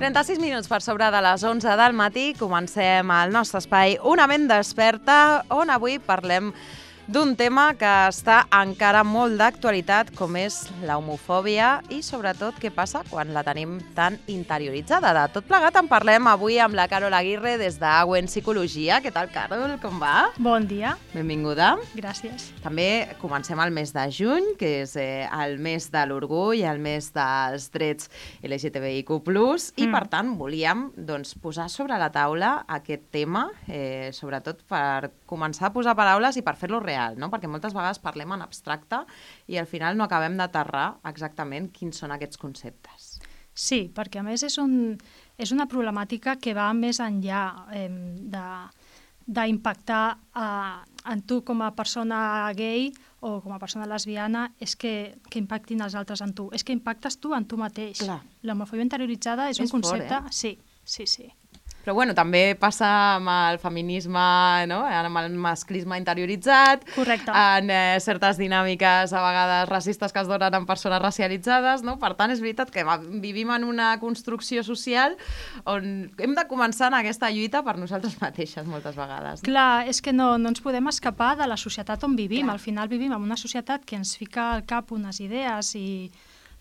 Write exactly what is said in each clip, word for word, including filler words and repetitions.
trenta-sis minuts per sobre de les onze del matí comencem el nostre espai Una ment desperta, on avui parlem d'un tema que està encara molt d'actualitat, com és la homofòbia i sobretot què passa quan la tenim tan interioritzada. De tot plegat en parlem avui amb la Carol Aguirre des d'Auen Psicologia. Què tal, Carol? Com va? Bon dia. Benvinguda. Gràcies. També comencem el mes de juny, que és eh, el mes de l'orgull, el mes dels drets L G T B I Q plus, mm. i per tant volíem doncs, posar sobre la taula aquest tema, eh, sobretot per començar a posar paraules i per fer-lo real, no? Perquè moltes vegades parlem en abstracte i al final no acabem d'aterrar exactament quins són aquests conceptes. Sí, perquè a més és, un, és una problemàtica que va més enllà eh, de d'impactar eh, en tu com a persona gay o com a persona lesbiana, és que, que impactin els altres en tu. És que impactes tu en tu mateix. Clar. L'homofòbia interioritzada és, És un concepte... fort, eh? Sí, sí, sí. Però bueno, també passa amb el feminisme, no? Amb el masclisme interioritzat, Correcte. en eh, certes dinàmiques a vegades racistes que es donen en persones racialitzades, no? Per tant, és veritat que vivim en una construcció social on hem de començar en aquesta lluita per nosaltres mateixes moltes vegades. No? Clar, és que no, no ens podem escapar de la societat on vivim. Clar. Al final vivim en una societat que ens fica al cap unes idees i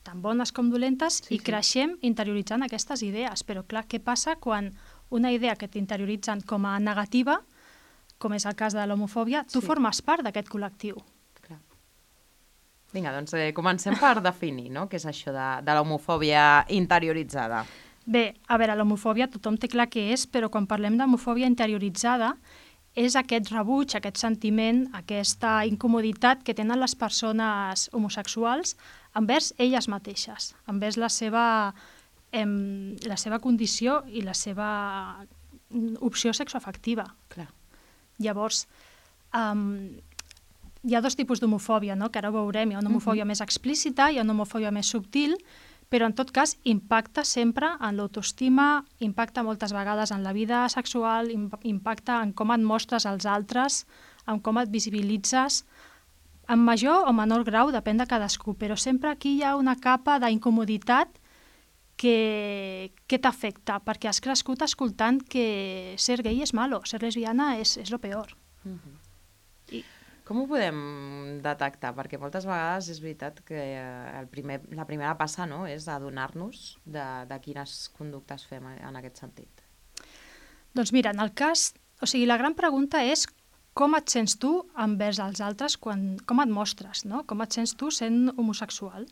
tan bones com dolentes Sí, i sí. creixem interioritzant aquestes idees. Però clar, què passa quan una idea que t'interioritzen com a negativa, com és el cas de l'homofòbia, tu Sí. formes part d'aquest col·lectiu. Clar. Vinga, doncs eh, comencem per definir, no? Què és això de, de l'homofòbia interioritzada. Bé, a veure, l'homofòbia tothom té clar què és, però quan parlem d'homofòbia interioritzada és aquest rebuig, aquest sentiment, aquesta incomoditat que tenen les persones homosexuals envers elles mateixes, envers la seva, em, la seva condició i la seva opció sexoafectiva. Clar. Llavors, um, hi ha dos tipus d'homofòbia, no? Que ara ho veurem. Hi ha una homofòbia uh-huh. més explícita, hi ha una homofòbia més subtil, però en tot cas impacta sempre en l'autoestima, impacta moltes vegades en la vida sexual, impacta en com et mostres als altres, en com et visibilitzes, en major o menor grau, depèn de cadascú, però sempre aquí hi ha una capa d'incomoditat que, que t'afecta, perquè has crescut escoltant que ser gay és malo, ser lesbiana és, és lo peor. Uh-huh. I... Com ho podem detectar? Perquè moltes vegades és veritat que el primer, la primera passa, no?, és adonar-nos de, de quines conductes fem en aquest sentit. Doncs mira, en el cas... O sigui, la gran pregunta és com et sents tu envers els altres, quan, com et mostres, no? Com et sents tu sent homosexual.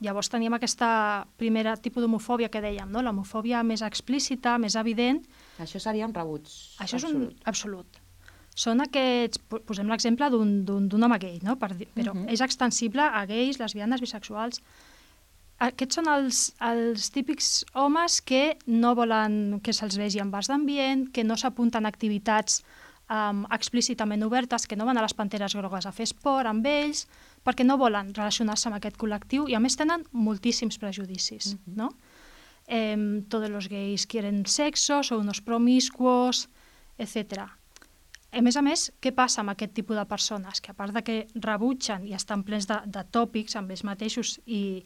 Llavors teníem aquesta primera tipus d'homofòbia que dèiem, no? L'homofòbia més explícita, més evident. Això seria un rebuig Això absolut. és un absolut. Són aquests, posem l'exemple d'un d'un home gay, no? Per dir, però uh-huh. és extensible a gais, lesbianes, bisexuals. Aquests són els, els típics homes que no volen que se'ls vegi en bars d'ambient, que no s'apunten a activitats um, explícitament obertes, que no van a les Panteres Grogues a fer esport amb ells, perquè no volen relacionar-se amb aquest col·lectiu i a més tenen moltíssims prejudicis, uh-huh. no? Eh, todos los gays quieren sexo, son unos promiscuos, etcètera. A més a més, què passa amb aquest tipus de persones? Que a part de que rebutgen i estan plens de, de tòpics amb ells mateixos i,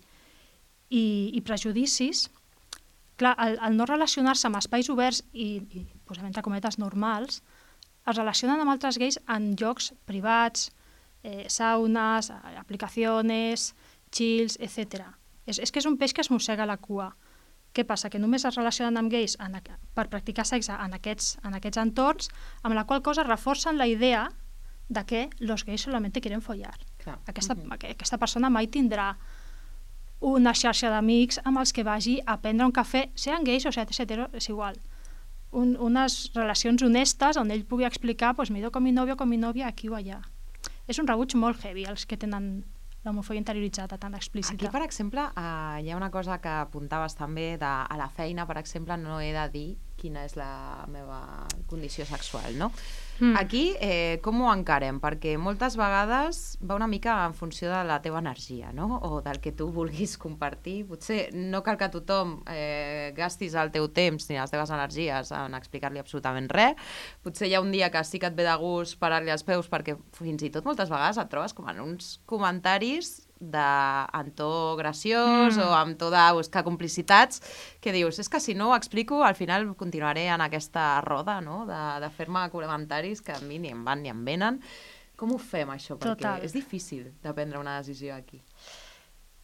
i, i prejudicis, clar, el, el no relacionar-se amb espais oberts i, i posem entre cometes normals, es relacionen amb altres gais en llocs privats, eh, saunes, aplicacions, chills, etcètera. És, és que és un peix que es mossega la cua. Què passa? Que només es relacionen amb gais en, per practicar sexe en aquests, en aquests entorns, amb la qual cosa reforcen la idea de que els gais solament quieren follar. Clar. Aquesta, uh-huh. aquesta persona mai tindrà una xarxa d'amics amb els que vagi a prendre un cafè, sean gais o sean hetero, és igual. Un, unes relacions honestes on ell pugui explicar, pues me he ido con mi novio o con mi novia aquí o allà. És un rebuig molt heavy els que tenen l'homofòbia interioritzada tan explícita. Aquí, per exemple, eh, hi ha una cosa que apuntaves també de, a la feina, per exemple, no he de dir quina és la meva condició sexual, no? Mm. Aquí, eh, com ho encarem? Perquè moltes vegades va una mica en funció de la teva energia, no? O del que tu vulguis compartir. Potser no cal que tothom eh, gastis el teu temps ni les teves energies en explicar-li absolutament res. Potser hi ha un dia que sí que et ve de gust parar-li els peus perquè fins i tot moltes vegades et trobes com en uns comentaris de, en to graciós mm. o amb to de buscar complicitats, que dius, és que si no ho explico, al final continuaré en aquesta roda, no?, de, de fer-me comentaris que a mi ni em van ni em venen. Com ho fem, això? Perquè Total. És difícil de prendre una decisió aquí.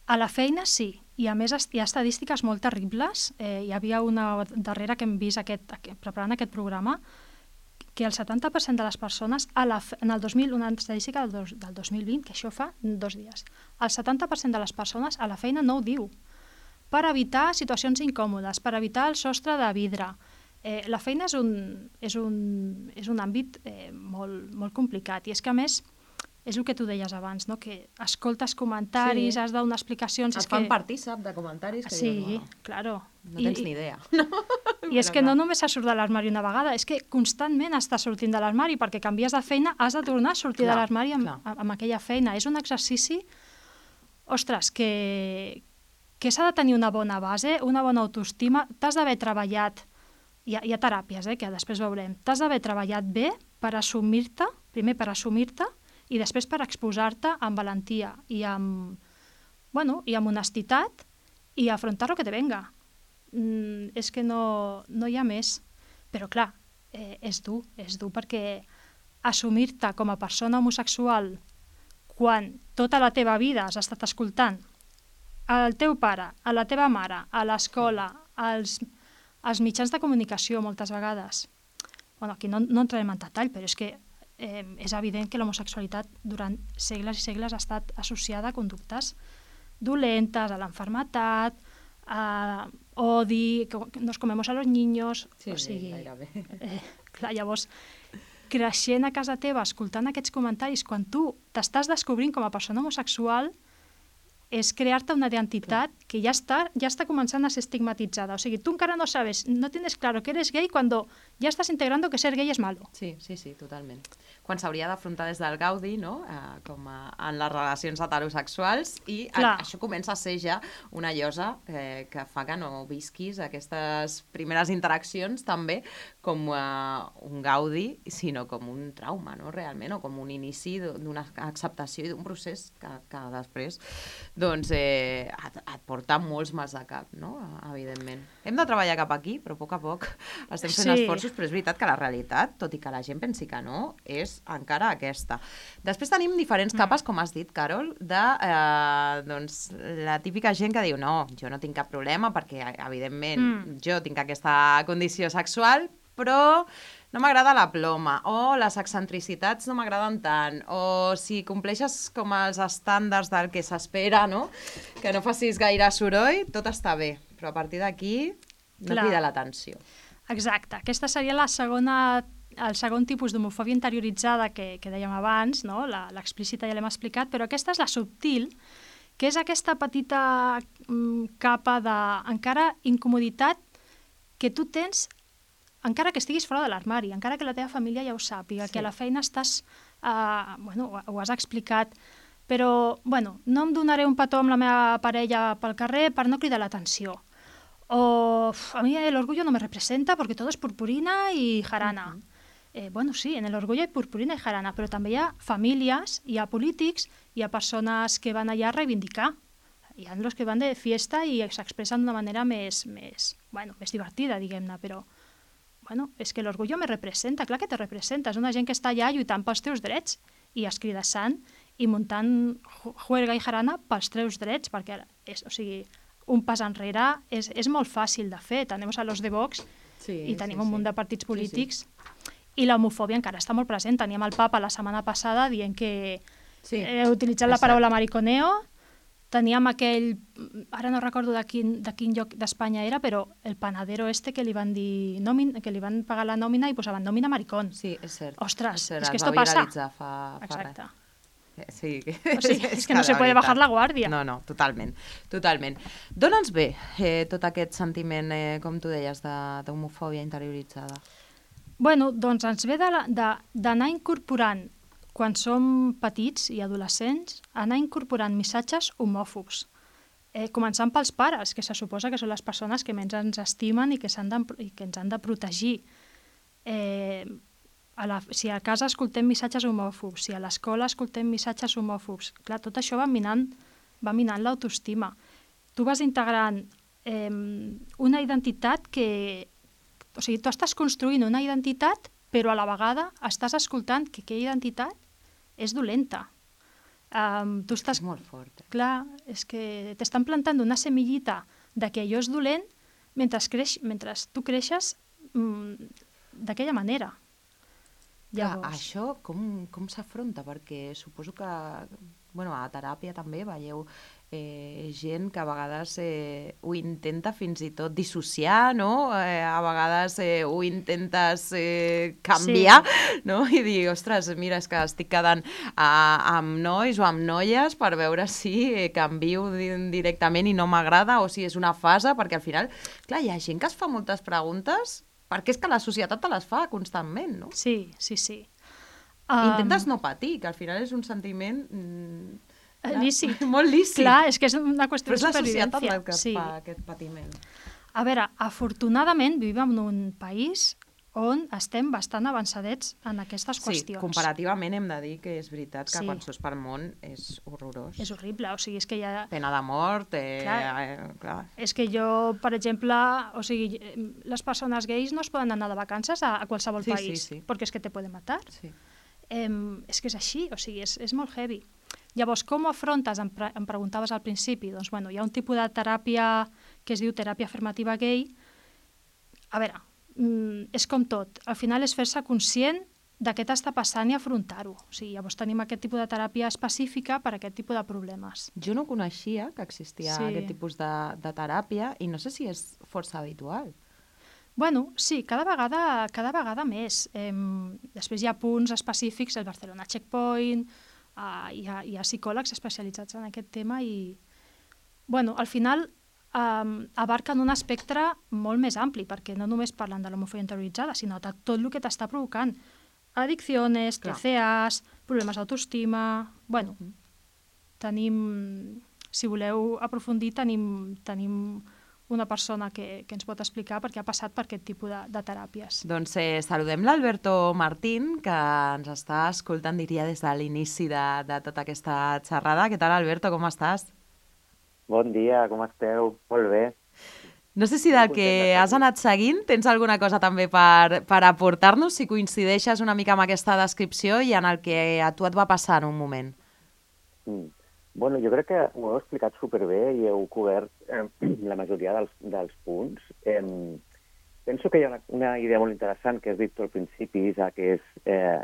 A la feina sí, i a més hi ha estadístiques molt terribles. Eh, hi havia una darrera que hem vist aquest, aquest, preparant aquest programa, que el setanta per cent de les persones, a la, en el dos mil, una estadística del, dos, del dos mil vint, que això fa dos dies, el setanta per cent de les persones a la feina no ho diu, per evitar situacions incòmodes, per evitar el sostre de vidre. Eh, la feina és un, és un, és un àmbit eh, molt, molt complicat, i és que a més, és el que tu deies abans, no? Que escoltes comentaris, sí. has de donar explicacions... Et és fan que... partícip de comentaris que sí, diuen... Sí, claro. No tens I, ni idea. I és que no només has surt de l'armari una vegada, és que constantment estàs sortint de l'armari, perquè canvies de feina, has de tornar a sortir clar, de l'armari amb, amb aquella feina. És un exercici, ostres, que, que s'ha de tenir una bona base, una bona autoestima, t'has d'haver treballat, hi ha, hi ha teràpies, eh, que després veurem, t'has d'haver treballat bé per assumir-te, primer per assumir-te, i després per exposar-te amb valentia i amb, bueno, i amb honestitat i afrontar lo que te venga. Mm, és que no, no hi ha més. Però clar, eh, és dur, és dur perquè assumir-te com a persona homosexual quan tota la teva vida has estat escoltant el teu pare, a la teva mare, a l'escola, als, als mitjans de comunicació moltes vegades. Bueno, aquí no, no entrarem en detall, però és que Eh, és evident que l'homosexualitat durant segles i segles ha estat associada a conductes dolentes, a l'enfermetat, a odi, que nos comemos a los niños... Sí, o sigui, sí, gairebé. Eh, clar, llavors, creixent a casa teva, escoltant aquests comentaris, quan tu t'estàs descobrint com a persona homosexual, és crear-te una identitat clar. Que ja està, ja està començant a ser estigmatitzada. O sigui, tu encara no sabes, no tienes claro que eres gay cuando ya estás integrando que ser gay es malo. Sí, sí, sí, totalment. Quan s'hauria d'afrontar des del gaudi, no?, eh, com a, en les relacions heterosexuals, i a, això comença a ser ja una llosa eh, que fa que no visquis aquestes primeres interaccions també com eh, un gaudi, sinó com un trauma, no?, realment, o com un inici d'una acceptació i d'un procés que, que després doncs, eh, et, et porta molts mals de cap, no?, evidentment. Hem de treballar cap aquí, però a poc a poc estem fent sí. esforços, però és veritat que la realitat, tot i que la gent pensi que no, és encara aquesta. Després tenim diferents capes, com has dit, Carol, de eh, doncs, la típica gent que diu no, jo no tinc cap problema perquè, evidentment, mm. jo tinc aquesta condició sexual, però no m'agrada la ploma, o les excentricitats no m'agraden tant, o si compleixes com els estàndards del que s'espera, no?, que no facis gaire soroll, tot està bé, però a partir d'aquí no crida l'atenció. Exacte, aquesta seria la segona, el segon tipus d'homofòbia interioritzada que, que dèiem abans, no? L'explícita ja l'hem explicat, però aquesta és la subtil, que és aquesta petita mm, capa d'encara incomoditat que tu tens encara que estiguis fora de l'armari, encara que la teva família ja ho sàpiga, sí. que a la feina estàs, uh, bueno, ho, ho has explicat, però, bueno, no em donaré un petó amb la meva parella pel carrer per no cridar l'atenció. O a mí el orgullo no me representa porque todo es purpurina y jarana. Uh-huh. eh, bueno, sí, en el orgullo hay purpurina i jarana, però també hi ha famílies, hi ha polítics, hi ha persones que van allà a reivindicar. Hi ha els que van de fiesta i s'expressen d'una manera més, més, bueno, més divertida, diguem-ne, però bueno, és que l'orgullo me representa, clar que te representa, és una gent que està allà lluitant pels teus drets i escridassant i muntant juerga i jarana pels teus drets, perquè és, o sigui, un pas enrere és, és molt fàcil de fer. Tenim a los de Vox sí, i tenim sí, un munt sí. de partits polítics sí, sí. i l'homofòbia encara està molt present. Teníem el papa la setmana passada dient que sí, eh, utilitzant la paraula mariconeo. Teníem aquell, ara no recordo de quin, de quin lloc d'Espanya era, però el panadero este que li van dir nòmina, que li van pagar la nòmina i posaven nòmina maricón. Sí, és cert. Ostres, és, cert, és que esto passa. Fa, fa Exacte. Res. Sí. O sigui, és que no se puede bajar la guàrdia. No, no, totalment, totalment. Dóna'ns bé eh, tot aquest sentiment, eh, com tu deies, d'homofòbia interioritzada. Bueno, doncs ens ve d'anar incorporant, quan som petits i adolescents, anar incorporant missatges homòfobs. Eh, començant pels pares, que se suposa que són les persones que menys ens estimen i que, de, i que ens han de protegir. Eh, A la, si a casa escoltem missatges homòfobs, si a l'escola escoltem missatges homòfobs, clar, tot això va minant va minant l'autoestima. Tu vas integrant eh, una identitat que... O sigui, tu estàs construint una identitat, però a la vegada estàs escoltant que aquella identitat és dolenta. Um, tu estàs... És molt fort. Eh? Clar, és que t'estan plantant una semillita de que allò és dolent mentre, creix, mentre tu creixes mm, d'aquella manera. Clar, això com, com s'afronta? Perquè suposo que bueno, a teràpia també veieu eh, gent que a vegades eh, ho intenta fins i tot dissociar, no? Eh, a vegades eh, ho intentes eh, canviar, sí. No? I dir, ostres, mira, és que estic quedant a, amb nois o amb noies per veure si eh, canvio directament i no m'agrada o si és una fase, perquè al final, clar, hi ha gent que es fa moltes preguntes perquè és que la societat te les fa constantment, no? Sí, sí, sí. Um... Intentes no patir, que al final és un sentiment... Mm, clar, lícit. Molt lícit. Clar, és que és una qüestió de supervivència. Però és la societat el que sí. fa aquest patiment. A veure, afortunadament vivim en un país on estem bastant avançadets en aquestes qüestions. Sí, comparativament hem de dir que és veritat que sí. quan surts pel món és horrorós. És horrible, o sigui, és que hi ha... Pena de mort, eh, clar. Eh, clar. És que jo, per exemple, o sigui, les persones gais no es poden anar de vacances a, a qualsevol sí, país, sí, sí. perquè és que te poden matar. Sí. Eh, és que és així, o sigui, és, és molt heavy. Llavors, com ho afrontes? Em, pre em preguntaves al principi. Doncs, bueno, hi ha un tipus de teràpia que es diu teràpia afirmativa gay. A veure, mm, és com tot. Al final és fer-se conscient de què t'està passant i afrontar-ho. O sigui, llavors tenim aquest tipus de teràpia específica per a aquest tipus de problemes. Jo no coneixia que existia sí. aquest tipus de, de teràpia i no sé si és força habitual. Bueno, sí, cada vegada, cada vegada més. Eh, després hi ha punts específics, el Barcelona Checkpoint, eh, hi, ha, hi ha psicòlegs especialitzats en aquest tema i, bueno, al final eh, abarquen un espectre molt més ampli, perquè no només parlen de l'homofòbia interioritzada, sinó de tot el que t'està provocant. Addiccions, T C As, problemes d'autoestima... Bueno, uh -huh. tenim... Si voleu aprofundir, tenim... tenim una persona que, que ens pot explicar perquè ha passat per aquest tipus de, de teràpies. Doncs eh, saludem l'Alberto Martín, que ens està escoltant, diria, des de l'inici de, de tota aquesta xerrada. Què tal, Alberto, com estàs? Bon dia, com esteu? Molt bé. No sé si del que has anat seguint tens alguna cosa també per, per aportar-nos, si coincideixes una mica amb aquesta descripció i en el que a tu et va passar en un moment. Mm. Bueno, jo crec que ho heu explicat superbé i heu cobert eh, la majoria dels, dels punts. Eh, penso que hi ha una, una idea molt interessant que has dit tu al principi, Isa, que és, eh,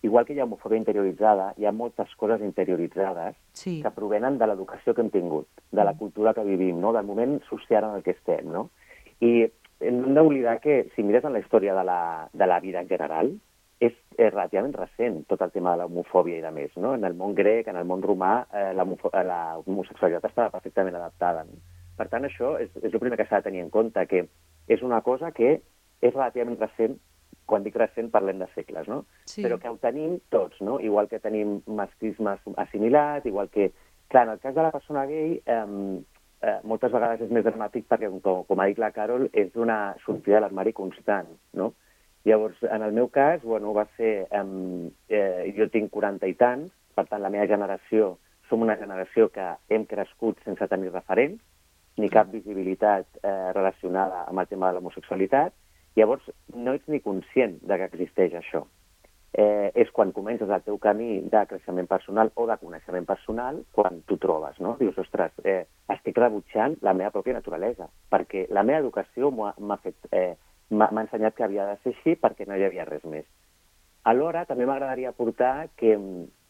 igual que hi ha homofòbia interioritzada, hi ha moltes coses interioritzades sí. que provenen de l'educació que hem tingut, de la cultura que vivim, no? Del moment social en el que estem. No? I no hem d'oblidar que, si mires en la història de la, de la vida en general, és, és relativament recent tot el tema de l'homofòbia i de més. No? En el món grec, en el món romà, eh, l'homosexualitat estava perfectament adaptada. No? Per tant, això és, és el primer que s'ha de tenir en compte, que és una cosa que és relativament recent. Quan dic recent parlem de segles, no? Sí. Però que ho tenim tots, no? Igual que tenim masclisme assimilat, igual que... Clar, en el cas de la persona gay, eh, eh, moltes vegades és més dramàtic perquè, com, com ha dit la Carol, és una sortida de l'armari constant, no? Llavors, en el meu cas, bueno, va ser... Eh, eh, jo tinc quaranta i tants, per tant, la meva generació, som una generació que hem crescut sense tenir referents, ni cap visibilitat eh, relacionada amb el tema de l'homosexualitat. Llavors, no ets ni conscient de que existeix això. Eh, és quan comences el teu camí de creixement personal o de coneixement personal quan t'ho trobes, no? Dius, ostres, eh, estic rebutjant la meva pròpia naturalesa, perquè la meva educació m'ha fet... Eh, m'ha ensenyat que havia de ser així perquè no hi havia res més. Alhora, també m'agradaria aportar que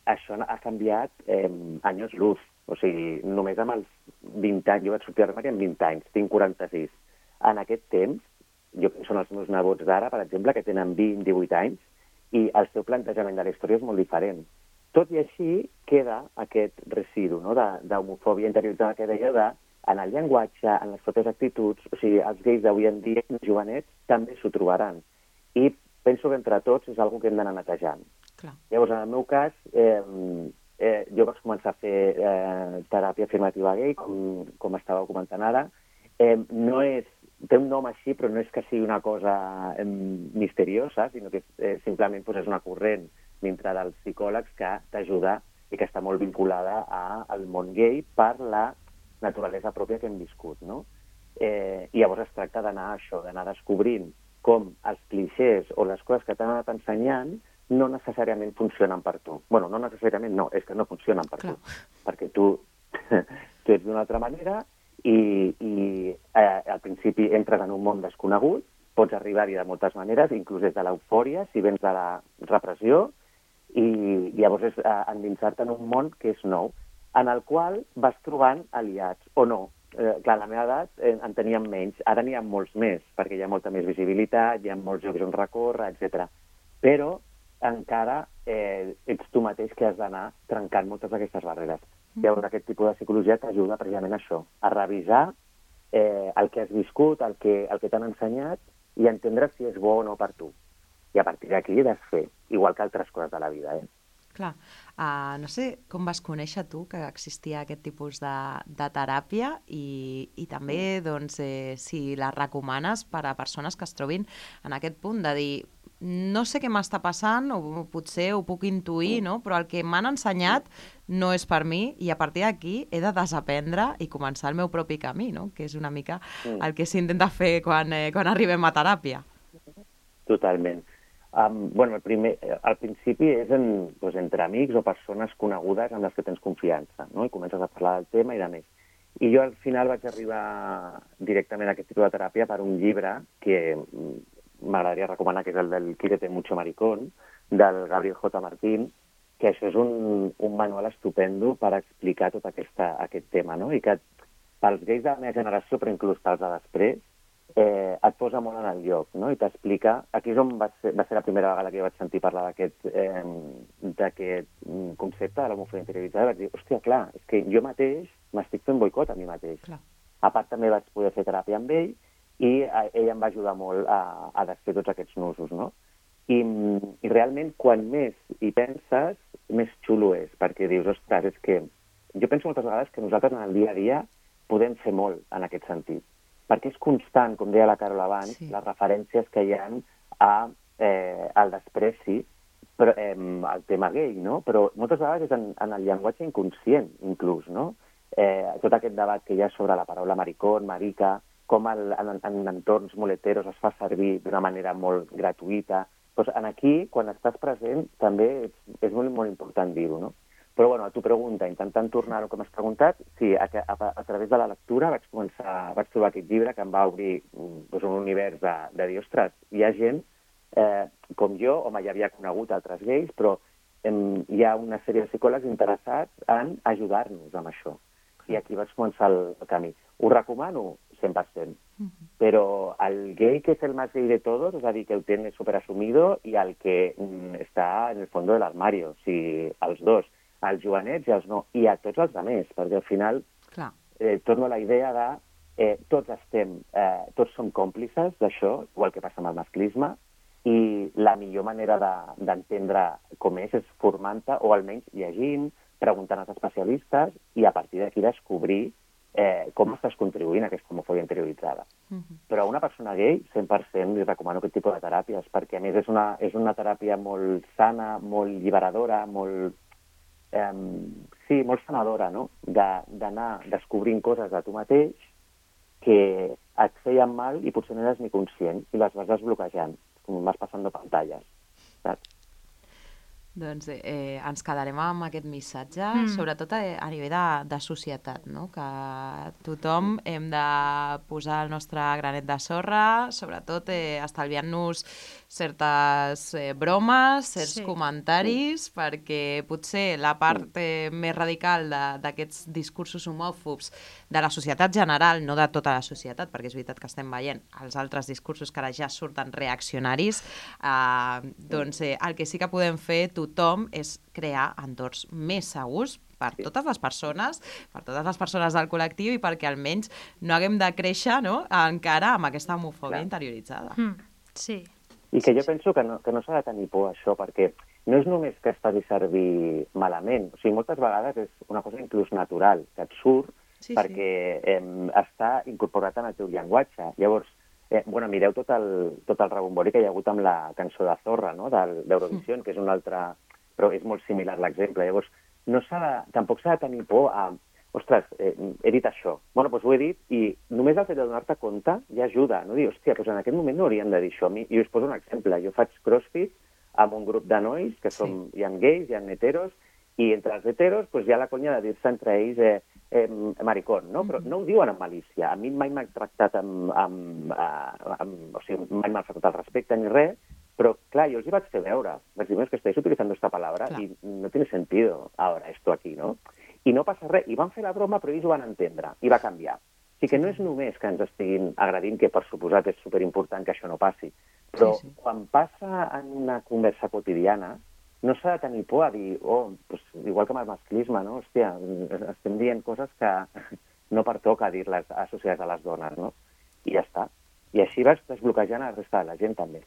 això ha canviat eh, anys luz. O sigui, només amb els vint anys, jo vaig sortir a l'armari amb vint anys, tinc quaranta-sis. En aquest temps, jo penso en els meus nebots d'ara, per exemple, que tenen vint, divuit anys, i el seu plantejament de la història és molt diferent. Tot i així, queda aquest residu, no?, d'homofòbia interioritzada que deia de en el llenguatge, en les pròpies actituds, o sigui, els gais d'avui en dia, els jovenets, també s'ho trobaran. I penso que entre tots és una que hem d'anar netejant. Clar. Llavors, en el meu cas, eh, eh, jo vaig començar a fer eh, teràpia afirmativa gay, com, com estàveu comentant ara. Eh, no és, té un nom així, però no és que sigui una cosa eh, misteriosa, sinó que eh, simplement pues, és una corrent dintre dels psicòlegs que t'ajuda i que està molt vinculada a, al món gay per la naturalesa pròpia que hem viscut, no? Eh, I llavors es tracta d'anar a això, d'anar descobrint com els clixés o les coses que t'han anat ensenyant no necessàriament funcionen per tu. Bueno, no necessàriament no, és que no funcionen per Clar. tu. Perquè tu, tu ets d'una altra manera i, i eh, al principi entres en un món desconegut, pots arribar-hi de moltes maneres, inclús des de l'eufòria, si vens de la repressió, i llavors és eh, endinsar-te en un món que és nou, en el qual vas trobant aliats, o no. Eh, clar, a la meva edat eh, en teníem menys, ara n'hi ha molts més, perquè hi ha molta més visibilitat, hi ha molts llocs on recórrer, etcètera. Però encara eh, ets tu mateix que has d'anar trencant moltes d'aquestes barreres. Mm. Llavors, aquest tipus de psicologia t'ajuda precisament a això, a revisar eh, el que has viscut, el que, el que t'han ensenyat, i entendre si és bo o no per tu. I a partir d'aquí desfer, igual que altres coses de la vida, eh? Clar. Uh, no sé com vas conèixer tu que existia aquest tipus de, de teràpia i, i també doncs, eh, si la recomanes per a persones que es trobin en aquest punt de dir no sé què m'està passant o potser ho puc intuir, no? Però el que m'han ensenyat no és per mi i a partir d'aquí he de desaprendre i començar el meu propi camí, no? Que és una mica el que s'intenta fer quan, eh, quan arribem a teràpia. Totalment. Um, bueno, el primer, al principi és en, doncs, entre amics o persones conegudes amb les que tens confiança, no? I comences a parlar del tema i de més. I jo al final vaig arribar directament a aquest tipus de teràpia per un llibre que m'agradaria recomanar, que és el del Quírete mucho maricón, del Gabriel J. Martín, que això és un, un manual estupendo per explicar tot aquesta, aquest tema, no? I que pels gais de la meva generació, però inclús pels de després, Eh, et posa molt en el lloc, no? I t'explica... Aquí és on va ser, va ser la primera vegada que jo vaig sentir parlar d'aquest eh, d'aquest concepte de l'homofòbia interioritzada. Vaig dir, hòstia, clar, és que jo mateix m'estic fent boicot a mi mateix. Clar. A part, també vaig poder fer teràpia amb ell i eh, ell em va ajudar molt a, a desfer tots aquests nusos, no? I, I realment, quan més hi penses, més xulo és, perquè dius, ostres, és que... Jo penso moltes vegades que nosaltres en el dia a dia podem fer molt en aquest sentit, perquè és constant, com deia la Carol abans, sí. Les referències que hi ha a, eh, al despreci, però, eh, al tema gay, no? Però moltes vegades és en, en el llenguatge inconscient, inclús, no? Eh, tot aquest debat que hi ha sobre la paraula maricón, marica, com el, en, en entorns muleteros es fa servir d'una manera molt gratuïta. Doncs en aquí, quan estàs present, també és, és molt, molt important dir-ho, no? Però, bueno, a tu pregunta, intentant tornar al que m'has preguntat, sí, a, a, a través de la lectura vaig començar, vaig trobar aquest llibre que em va obrir doncs, un univers de, de dir, ostres, hi ha gent eh, com jo, home, ja havia conegut altres gais, però em, hi ha una sèrie de psicòlegs interessats en ajudar-nos amb això. I aquí vaig començar el, el camí. Ho recomano cent per cent, uh-huh. Però el gay que és el més gay de tots, és a dir, que ho té superassumido, i el que mm, està en el fons de l'armari, o sigui, els dos, als jovenets i als no, i a tots els altres, perquè al final eh, torno a la idea de eh, tots estem, eh, tots som còmplices d'això, igual que passa amb el masclisme, i la millor manera d'entendre de, com és és formant-te, o almenys llegint, preguntant als especialistes, i a partir d'aquí descobrir eh, com estàs contribuint a aquesta homofòbia interioritzada. Uh-huh. Però a una persona gay, cent per cent li recomano aquest tipus de teràpies, perquè a més és una, és una teràpia molt sana, molt alliberadora, molt... Um, sí, molt sanadora, no? D'anar descobrint coses de tu mateix que et feien mal i potser no eres ni conscient i les vas desbloquejant, com vas passant pantalles, saps? Doncs eh, ens quedarem amb aquest missatge, mm. sobretot a, a nivell de, de societat, no? Que tothom hem de posar el nostre granet de sorra, sobretot eh, estalviant-nos certes eh, bromes, certs sí. comentaris, perquè potser la part eh, més radical d'aquests discursos homòfobs de la societat general, no de tota la societat, perquè és veritat que estem veient els altres discursos que ara ja surten reaccionaris, eh, doncs eh, el que sí que podem fer tothom és crear entorns més segurs per totes les persones, per totes les persones del col·lectiu i perquè almenys no haguem de créixer, no?, encara amb aquesta homofòbia Clar. interioritzada. Mm, sí. I que jo penso que no, que no s'ha de tenir por a això, perquè no és només que es faci servir malament, o sigui, moltes vegades és una cosa inclús natural, que et surt sí, perquè sí. Eh, està incorporat en el teu llenguatge. Llavors, eh, bueno, mireu tot el, tot el rebombori que hi ha hagut amb la cançó de Zorra, no?, d'Eurovisió, mm. que és un altre... però és molt similar l'exemple. Llavors, no s'ha de, tampoc s'ha de tenir por a... Ostres, eh, he dit això. Bueno, doncs ho he dit i només el fet de donar-te compte ja ajuda. No dir, hòstia, doncs en aquest moment no hauríem de dir això. I us poso un exemple. Jo faig crossfit amb un grup de nois que som, sí. Hi ha gais, hi ha heteros, i entre els heteros doncs, hi ha la conya de dir-se entre ells eh, eh, maricón, no? Però no ho diuen amb malícia. A mi mai m'ha tractat amb... amb, amb, amb o sigui, mai m'ha faltat el respecte ni res, però, clar, jo els hi vaig fer veure. Vaig dir, és que estáis utilizando esta palabra clar. I no tiene sentido ahora esto aquí, no? I no passa res. I van fer la broma, però ells ho van entendre. I va canviar. O sigui que no és només que ens estiguin agredint, que per suposat és superimportant que això no passi, però sí, sí. Quan passa en una conversa quotidiana, no s'ha de tenir por a dir, oh, pues, igual que amb el masclisme, no? Hòstia, estem dient coses que no pertoca dir-les associades a les dones, no? I ja està. I així vas desbloquejant la resta de la gent, també.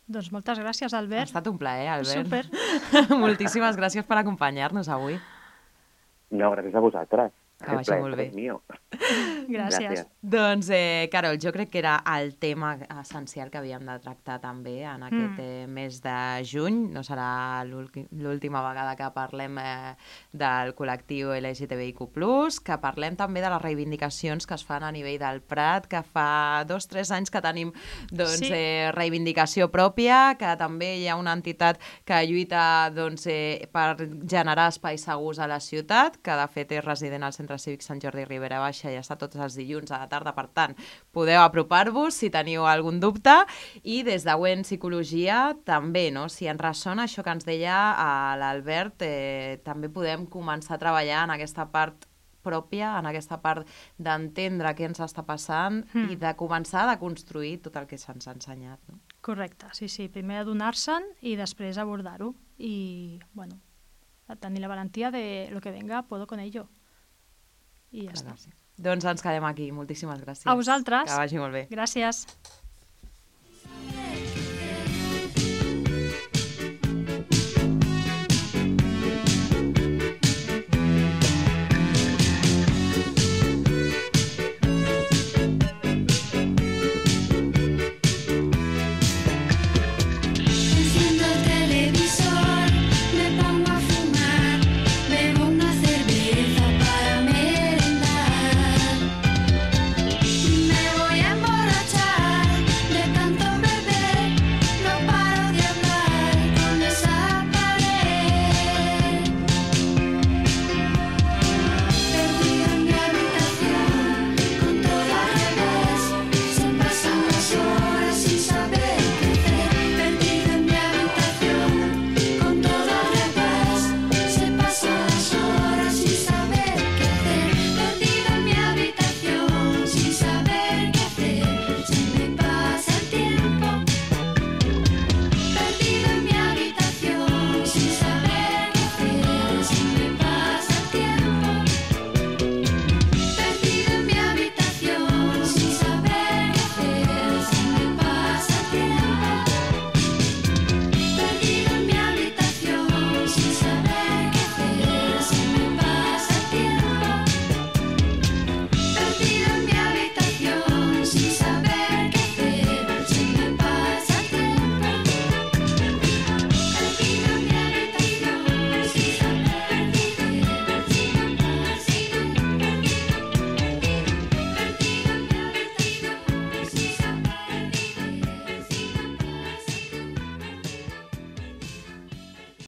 Doncs moltes gràcies, Albert. Ha estat un plaer, Albert. Súper. Moltíssimes gràcies per acompanyar-nos avui. No, gràcies a vosaltres. Que vagi molt bé. Gràcies. Gràcies. Doncs, eh, Carol, jo crec que era el tema essencial que havíem de tractar també en aquest mm. eh, mes de juny. No serà l'última vegada que parlem eh, del col·lectiu L G T B I Q plus, que parlem també de les reivindicacions que es fan a nivell del Prat, que fa dos o tres anys que tenim doncs, sí. eh, reivindicació pròpia, que també hi ha una entitat que lluita doncs, eh, per generar espais segurs a la ciutat, que de fet és resident al Centre Cívic Sant Jordi Ribera Baixa i està tots els dilluns a la tarda, per tant, podeu apropar-vos si teniu algun dubte, i des de Wen Psicologia també, no? Si ens ressona això que ens deia l'Albert, eh, també podem començar a treballar en aquesta part pròpia, en aquesta part d'entendre què ens està passant mm. i de començar a construir tot el que se'ns ha ensenyat. No? Correcte, sí, sí. Primer adonar-se'n i després abordar-ho. I, bueno, tenir la valentia de lo que venga, puedo con ello. I ja Clar, està. Sí. Doncs ens quedem aquí. Moltíssimes gràcies. A vosaltres. Que vagi molt bé. Gràcies.